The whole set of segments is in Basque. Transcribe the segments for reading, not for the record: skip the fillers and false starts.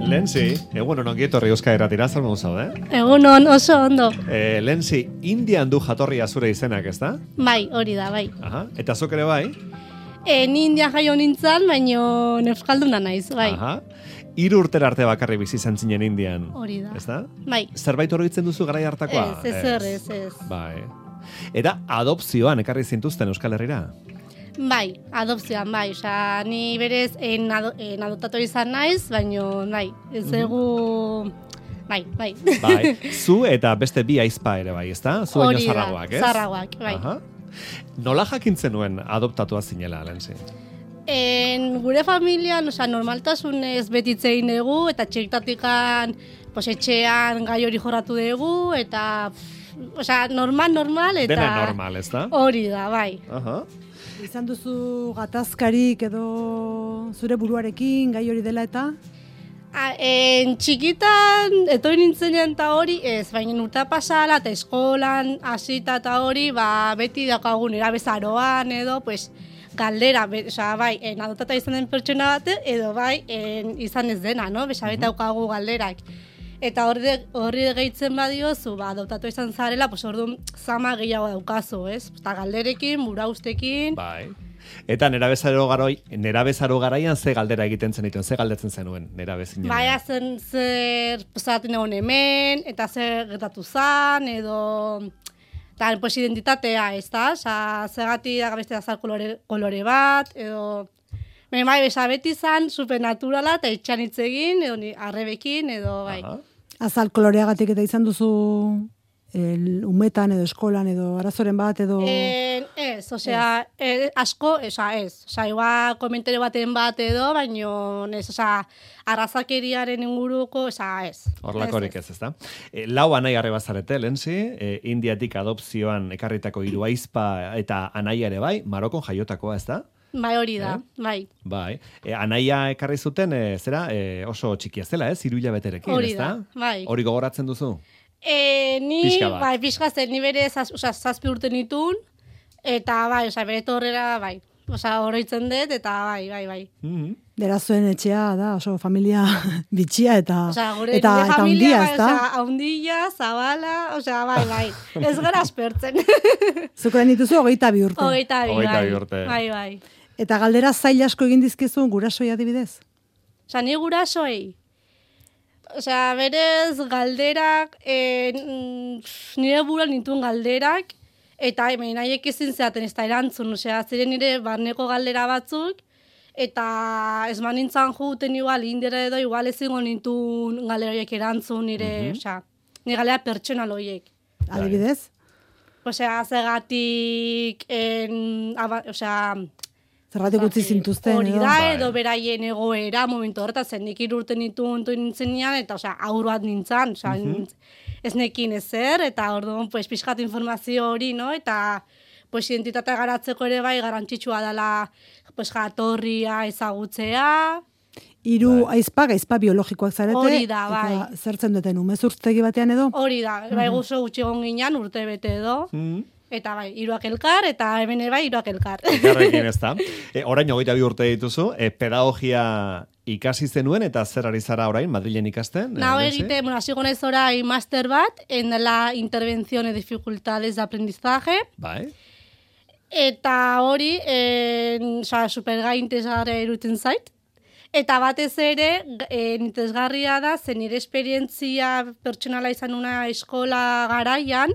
Lenzi, egunon ongi etorri Euskal Irratira, zer modu zaude? Egunon, oso ondo. Lenzi, Indian du jatorria zure izenak, ez da? Bai, hori da, bai. Aha, eta zuk ere bai? Ni Indian jaio nintzen, baino euskalduna naiz, bai. Aha. 3 urtera arte bakarri bizi izan zinen Indian. Hori da. Ez da? Bai. Zerbait oroitzen duzu garai hartakoa? Ez. Bai. Eta adopzioan ekarri zintuzten Euskal Herrira? Bai, adopzioan, bai. Osa, ni berez adoptatu izan naiz, baino, bai, ez egu... Bai. Bai, zu eta beste bi aizpa ere bai, ezta? Zu baino zarragoak, ez? Zarragoak, bai. Aha. Nola jakintzen nuen adoptatua zinela, Lenzi? Gure familian, osa, normaltasunez betitzein dugu, eta txektatikan, etxean gai hori jorratu dugu, eta, osa, normal, eta... Dena normal, ez da? Hori da, bai. Aha. Izan duzu gatazkarik edo zure buruarekin gai hori dela eta? Txikitan, etorri nintzenean eta hori, ez, baina urta pasala eta eskolan, hasita eta hori, beti daukagun erabezaroan edo, galdera, bai, adoptata izan den pertsona bat, edo bai, izan ez dena, no? Beti daukagu galderak. Eta horri gehitzen badiozu, adoptatu izan zarela, orduan zama gehiago daukazu, ez? Eta galderekin, buraustekin. Bai. Eta nerabezaro garaian ze galdera egiten zenituen, ze galdetzen zenuen nerabezinen? Bai, zer zaten egon hemen, eta zer gertatu zan, edo... Eta, identitatea, ez da? Zergati da beste azal kolore bat, edo... Bai, beti zan, supernaturala, eta itxan hitz egin, edo arrebekin, edo bai. Azal koloreagatik eta izan duzu umetan edo eskolan edo arazoren bat edo... Ez, asko, ez. Igual komentario baten bat edo, baino, arrazakeriaren inguruko, ez. Horlakorik ez da? Lau anai arrebazarete, Lenzi, Indiatik adopzioan ekarritako 3 aizpa eta anaia ere bai, Marokon jaiotakoa, ez da? Bai, hori da, bai. Bai. Anaia ekarri zuten, oso txikia zela, 3 hilabeterekin, ez da? Bai. Hori gogoratzen duzu? Pixka zen, ni bere 7 urte nitun, eta bai, bere torrera, bai. Oroitzen dut, eta bai. Dera zuen etxea da, oso familia bitxia eta familia, handia, ez da? Handia, zabala, bai. Ez gara aspertzen. Zuko dituzu 22 urte. 22 urte. Bai. Eta galdera zail asko egin dizkizu gurasoi adibidez? Ni gurasoei. Berez galderak, nire buruan nituen galderak, eta nahiek ezin zeaten ez da erantzun, ziren nire barneko galdera batzuk, eta ez manintzan juten igual, indera edo igual ezingo nintuen galdera horiek erantzun nire, nire galdera pertsonal horiek. Adibidez? Zegatik, zerratik utzi zintuzten, hori da, edo beraien egoera, momentu horretan, zen nik 3 urte nintzen nian, eta aur bat nintzen, ez nekin ezer, eta orduan, pixkat informazio hori, no? Eta identitatea garatzeko ere bai, garrantzitsua dela jatorria ezagutzea. 3 aizpa biologikoak zarete. Hori da, bai. Eta zertzen duten, umezurtegi batean edo? Hori da, bai guzo gutxi egon ginen, urte bete edo. Eta bai, 3 elkar, eta hemen bai 3 elkar. Elkarrekin ez da. Orain 22 urte dituzu, pedagogia ikasi zenuen, eta zer ari zara orain, Madrilen ikasten? Egiten, hasi gonez orain master bat, en la intervención de dificultades de aprendizaje. Bai. Eta hori, supergai interesgarria iruditzen zait. Eta batez ere, interesgarria da, zen nire esperientzia pertsonala izan una eskola garaian,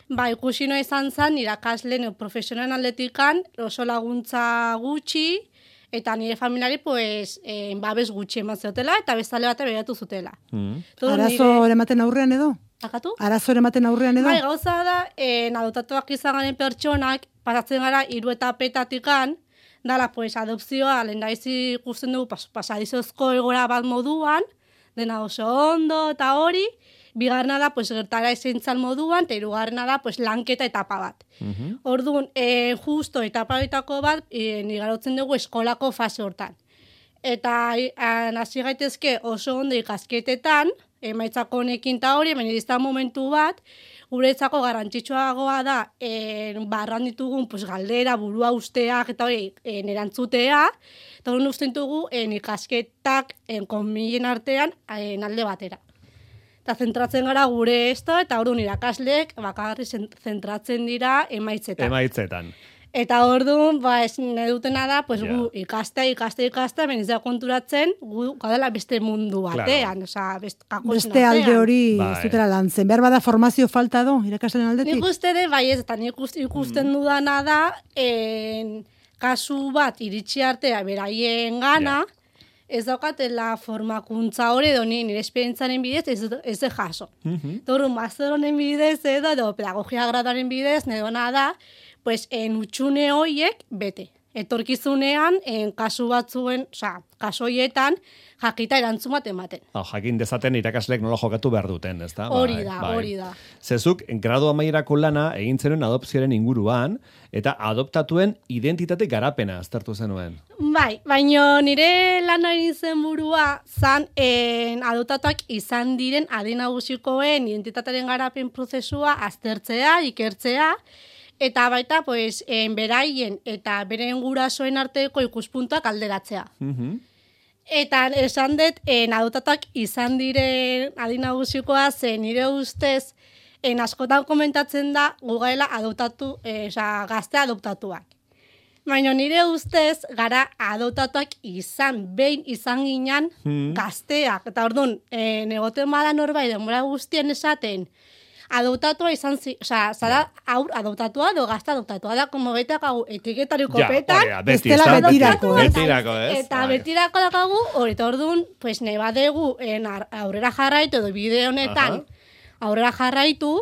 ikusi noa izan zen, irakasle profesionalen aldetikan, oso laguntza gutxi, eta nire familiari, babes gutxi eman zeotela, eta bezale bat begiratu zutela. Arazo ematen aurrean edo? Akatu? Arazo ematen aurrean edo? Bai, gauza da, adoptatuak izan garen pertsonak, pasatzen gara 3 etapetatikan, dala, adopzioa, lehen da ikusten dugu, pasadizozko egora bat moduan, dena oso ondo, eta hori, bigarrena da, gertara esentzal moduan, eta 3garrena da, lanketa etapa bat. Orduan, justo etapa bitako bat, nigarotzen dugu eskolako fase hortan. Eta hasi gaitezke oso ondo ikasketetan, emaitzak honekin ta hori, baina izan momentu bat, guretzako garrantzitsuagoa da barran ditugun galdera, burua usteak eta hori erantzutea, eta hori usten dugu ikasketak konmilen artean alde batera. Eta zentratzen gara gure eta orduan irakasleek bakarri zentratzen dira emaitzetan. Emaitzetan. Eta orduan, nahi dutena da, gu ikaste, beniz da konturatzen, gu gadela beste mundu batean, beste alde hori zutera lan zen. Behar bada formazio falta do, irakasleen aldetik? Nik uste de, ez, eta nik ikusten dudana da, kasu bat iritsi artea beraien gana, ez daukatela formakuntza hori edo nire esperientzaren bidez ez de jaso. Torru, master honen bidez edo pedagogia graduaren bidez, nedona da, utxune horiek bete. Etorkizunean, kasu batzuen, kasu horietan, jakita erantzun bat ematen. Jakin dezaten irakasleek nola jokatu behar duten, ez da? Hori da. Zezuk, gradu amaierako lana egin zenuen adopzioaren inguruan, eta adoptatuen identitate garapena aztertu zenuen. Bai, baina nire lana egin zen burua, adoptatuak izan diren adinagusikoen identitatearen garapen prozesua aztertzea, ikertzea, eta baita, beraien eta beren gurasoen arteko ikuspuntuak alderatzea. Eta esan dut, adoptatuak izan diren adinagusikoa zen nire ustez, askotan komentatzen da gugaela gazte adoptatuak. Baina nire ustez, gara adoptatuak behin izan ginen gazteak. Eta orduan, egoten bada norbait denbora guztien esaten, adoptatua izan zara aur adoptatua edo gazte adoptatua da, como beta kagu etiketari kopetan, estela betirako, ez? Eta betirako dakagu, hori orduan, nahi badegu aurrera jarraitu edo bide honetan aurrera jarraitu,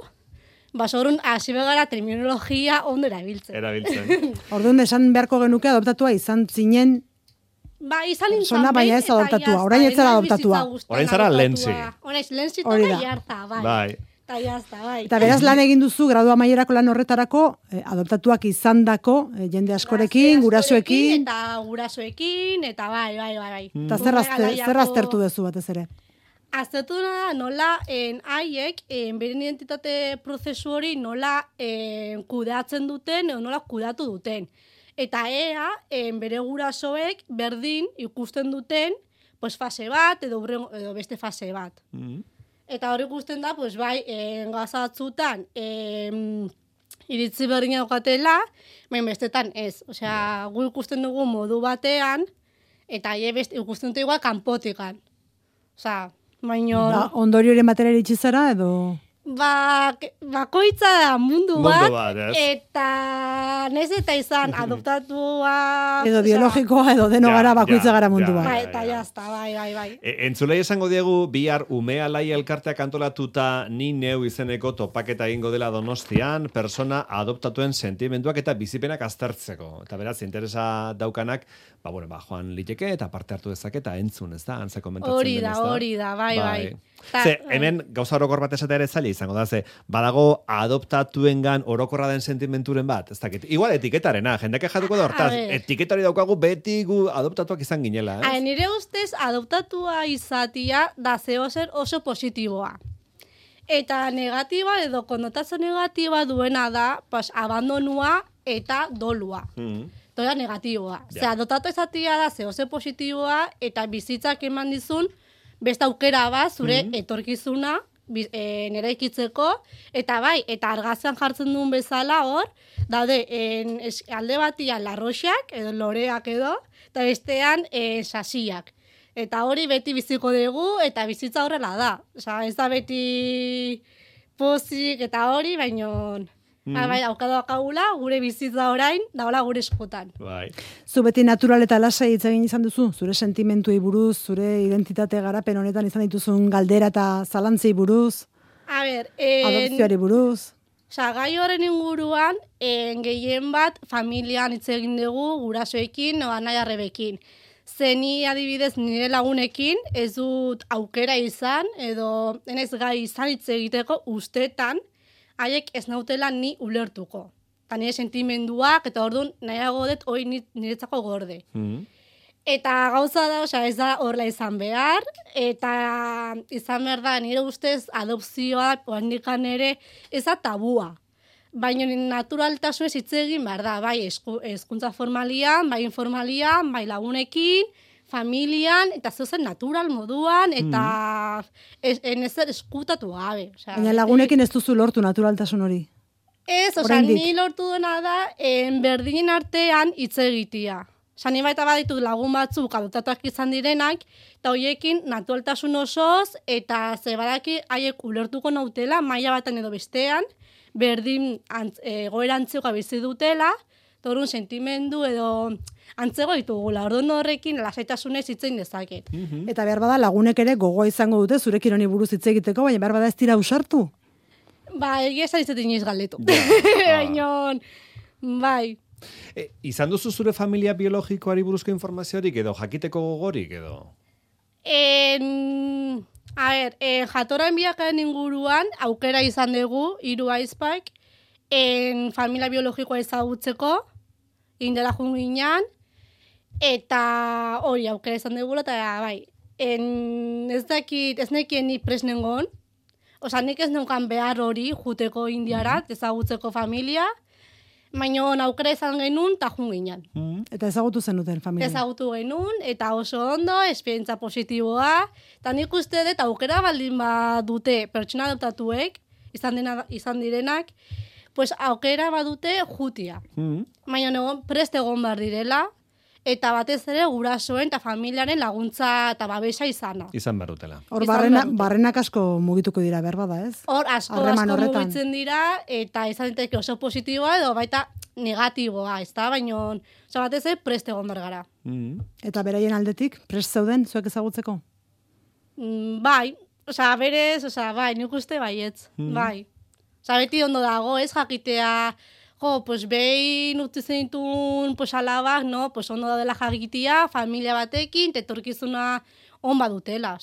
basorun hasi begara terminologia ondo erabiltzen. Orduan esan beharko genuke adoptatua izan zinen izan zona, baina ez adoptatua, orain ez zara adoptatua. Orain zara lentzi. Orain lentzi toka jarta, bai. Eta beraz lan egin duzu, gradu amaierako lan horretarako, adoptatuak izandako jende askorekin, gurasoekin. Eta gurasoekin, eta bai. Eta zer aztertu duzu batez ere? Aztertu da nola haiek, beren identitate prozesu hori nola kudeatzen duten, edo nola kudeatu duten. Eta bere gurasoek berdin ikusten duten fase bat, edo beste fase bat. Eta hori ikusten da, gauza batzutan iritzi berdina daukatela, baina bestetan ez. Osea, gu ikusten dugu modu batean, eta ikusten dut igual kanpotikan. Osea, baina... Ondorioren batera iritsi zara edo... Bakoitza da mundu bat, eta nez eta izan adoptatua... Edo biologikoa, edo deno gara bakoitza gara mundu bat. Eta jazta, bai. Entzulei esango diegu, bihar Umea Lai elkarteak antolatuta Ni Neu izeneko topaketa egingo dela Donostian, persona adoptatuen sentimenduak eta bizipenak aztertzeko. Eta beraz, interesa daukanak, joan liteke eta parte hartu dezake eta entzun, ez da? Antza komentatzen den, ez da? Hori da, bai. Hemen gauza orokor bat esatea ere zaila izango da, badago adoptatuengan orokorra den sentimenturen bat, ez dakit. Igual etiketarena, jendeak jatuko da hortaz, etiketari daukagu beti gu adoptatuak izan ginela, ez? Nire ustez, adoptatua izatia da zehozer oso positiboa. Eta negatiba edo konnotazio negatiba duena da, abandonua eta dolua. Toda negatiboa. Adoptatu izatia da zehozer positiboa eta bizitzak eman dizun beste aukera bat, zure etorkizuna, nire ikitzeko, eta eta argazan jartzen duen bezala hor, daude, alde batian larroxak, edo loreak edo, eta bestean sasiak. Eta hori beti biziko dugu, eta bizitza horrela da. Osa, ez da beti pozik eta hori, baino... Daukagula, gure bizitza orain, daula gure eskutan. Zu beti natural eta lasai hitz egin izan duzu? Zure sentimentuei buruz, zure identitate garapen honetan izan dituzun galdera eta zalantzei buruz? Adopzioari buruz? Gai horren inguruan, gehien bat familian hitz egin dugu, gurasoekin, anai arrebekin. Zeni adibidez nire lagunekin, ez dut aukera izan, edo enez gai izan hitz egiteko ustetan, haiek ez nautela ni ulertuko. Eta nire sentimenduak, eta orduan nahiago dut hori niretzako gorde. Eta gauza da, osea, ez da horrela izan behar, eta izan behar da, nire ustez adopzioa, oandikan ere, ez da tabua. Baina naturaltasunez hitz egin behar da, bai hezkuntza formalian, bai informalian, bai lagunekin, familian, eta zeuzen natural moduan, eta ezer eskutatu gabe. Baina lagunekin ez duzu lortu naturaltasun hori? Ez, osea, ni lortu duena da, berdinen artean hitz egitea. Osa, ni baita baditu lagun batzuk adoptatuak izan direnak, eta hoiekin naturaltasun osoz, eta zebadaki haiek ulertuko nautela, maila baten edo bestean, berdin egoera antzegoa bizi dutela, eta horren sentimendu edo antzego ditugula. Orduan horrekin lasaitasunez hitz egin dezaket. Eta behar bada lagunek ere gogoa izango dute zurekin honi buruz hitz egiteko, baina behar bada ez dira usartu? Ba, egia esan izate inoiz galdetu. Baina, bai. Izan duzu zure familia biologikoari buruzko informaziorik edo jakiteko gogorik edo? A ber, jatorren biakaren inguruan aukera izan dugu, 3 aizpak, familia biologikoa ezagutzeko, indela junginan, eta hori aukera izan dugu, eta bai, ez nekien ni presnengon, oza, nik ez neukan behar hori juteko indiarat, ezagutzeko familia, baina aukera izan genuen, eta junginan. Eta ezagutu zenuten familia? Ezagutu genuen, eta oso ondo, esperientza positiboa, eta nik uste dut aukera baldin badute pertsona adoptatuek, izan direnak, pues aukera badute jutia. Baina prest egon behar direla, eta batez ere gurasoen eta familiaren laguntza eta babesa izana. Izan behar dutela. Hor barrenak asko mugituko dira, berbada, ez? Hor asko mugitzen dira, eta izan diteke oso positiboa edo baita negatiboa, ez da? Baina batez ere prest egon behar gara. Eta beraien aldetik, prest zeuden zuek ezagutzeko? Bai, berez, bai, nik uste baietz, bai. Beti ondo dago, ez jakitea, pues behin utzi zenitun alabak, no, pues ondo da dela jakitea, familia batekin, tetorkizuna on badutela,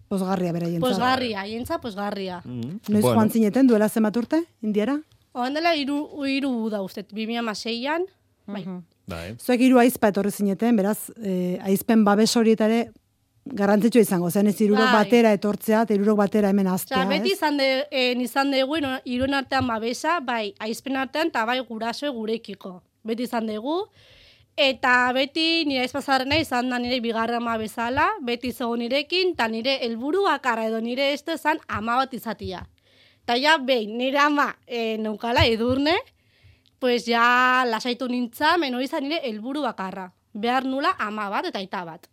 Posgarria beraien. Posgarria. Noiz joan zineten, duela zenbat urte, indiara? Oan dela 3 da uste, 2006an, bai. Zuek 3 aizpa etorri zineten, beraz, aizpen babes horietare, garrantzitsua izango, zen ez 3 batera etortzea, eta 3 batera hemen aztea, ez? Beti izan dugu, 3 artean babesa, bai, aizpen artean, eta bai guraso gurekiko. Beti izan dugu, eta beti nire aizpazarrena izan da nire bigarra ama bezala, beti zegoen nirekin, eta nire helburu bakarra edo nire ez ezan ama bat izatia. Eta ja, behin, nire ama neukala edurne, pues ja lasaitu nintza, meno izan nire helburu bakarra. Behar nula ama bat eta aita bat.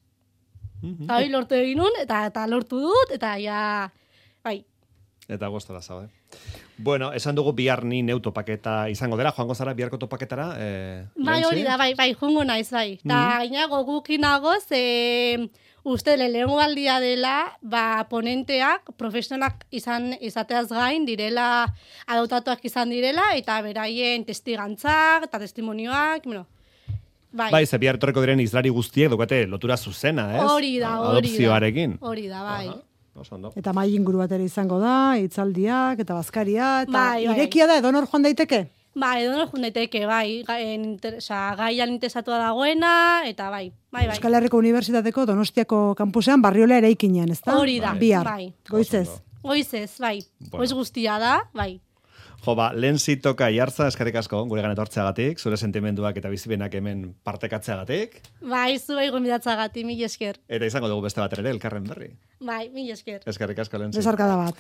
Eta hori lortu egin nun, eta lortu dut, eta ja, bai. Eta goztara zabe. Bueno, esan dugu bihar ni neu topaketa izango dela, joango zara biharko topaketara? Bai, hori da, bai, joango naiz, bai. Eta gainago gukinagoz, uste lehengo aldia dela, ponenteak, profesionalak izateaz gain, direla, adoptatuak izan direla, eta beraien testigantzak, eta testimonioak, bueno. Bai, ze bihar etorreko diren izlari guztiek dukate lotura zuzena, ez? Hori da. Adopzioarekin. Hori da, bai. Eta mai inguru batera izango da, hitzaldiak, eta bazkaria, eta irekia da, edonor joan daiteke? Bai, edonor joan daiteke, bai. Gaian interesatua dagoena, eta bai. Euskal Herriko Unibertsitateko Donostiako kampusean barriola eraikinean, ez da? Hori da, bihar. Goizez. Goizez, bai. Goiz guztia da, bai. Jo, lehen zitoka jartza, eskerrik asko, gure gana etortzeagatik, zure sentimenduak eta bizipenak hemen partekatzeagatik. Bai, zuei gomidatzagatik, mil esker. Eta izango dugu beste bat ere, elkarren berri. Bai, mil esker. Eskerrik asko, lehen zitoka. Besarkada bat.